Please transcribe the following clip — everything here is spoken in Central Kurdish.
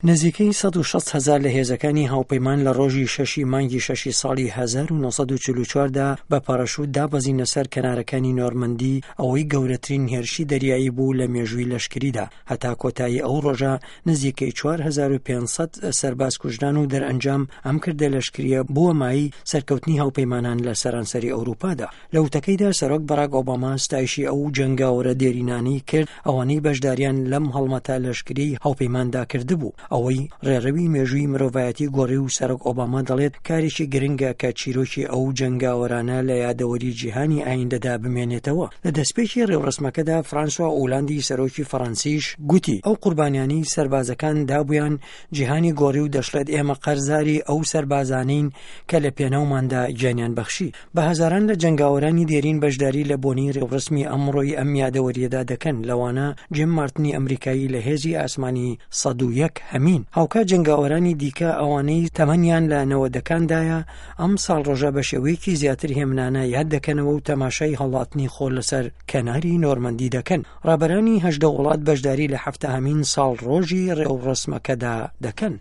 نزیکەی 160 هەزار لە هێزەکانی هاوپەیمان لە ڕۆژی شەشی مانگی شەشی ساڵی 1944 دا بە پاراشوت دابەزینە سەر کەنارەکانی نۆرمەندی، ئەوەی گەورەترین هێرشی دەریایی بوو لە مێژووی لەشکریدا. هەتا کۆتایی ئەو ڕۆژە نزیکەی 4500 سەرباز کوژران و دەرئەنجام ئەم کردە لەشکرییە بووە مایەی سەرکەوتنی هاوپەیمانان لە سەرانسەری ئەوروپادا. لە وتەکەیدا سەرۆک باراک ئۆباما ستایشی ئەو جەنگاوەرە دێرینانەی کرد ئەوانەی بەشداریان لەم هەڵمەتە لەشکریەی هاوپەیماندا کردبوو، ئەوەی ڕێڕەوی مێژووی مرۆڤایەتی گۆڕی و سەرۆک ئۆباما دەڵێت کارێکی گرنگە کە چیرۆکی ئەو جەنگاوەرانە لە یادەوەری جیهانی ئایندەدا بمێنێتەوە. لە دەستپێکی ڕێوڕەسمەکەدا فرانسوا ئولاندی سەرۆکی فەڕەنسیش گوتی ئەو قوربانیانەی سەربازەکان دابوویان جیهانی گۆڕی و دەشڵێت ئێمە قەرزاری ئەو سەربازانەین کە لە پێناوماندا گیانیان بەخشی. بە هەزاران لە جەنگاوەرانی دێرین بەشداری لە بۆنەی ڕێوڕەسمی ئەمڕۆی ئەم یادەوەرییەدا دەکەن، لەوانە جیم مارتنی ئەمریکایی لە هێزی ئاسمانی 101 هەمین. هاوکات جەنگاوەرانی دیکە ئەوانەی تەمەنیان لە نەوەدەکاندایە ئەم ساڵڕۆژە بە شێوەیەکی زیاتر هێمنانە یاد دەکەنەوە و تەماشای هەڵاتنی خۆر لەسەر کەناری نۆرمەندی دەکەن. ڕابەرانی 18 وڵات بەشداری لە حەفتاهەمین ساڵڕۆژی ڕێوڕەسمەکەدا دەکەن.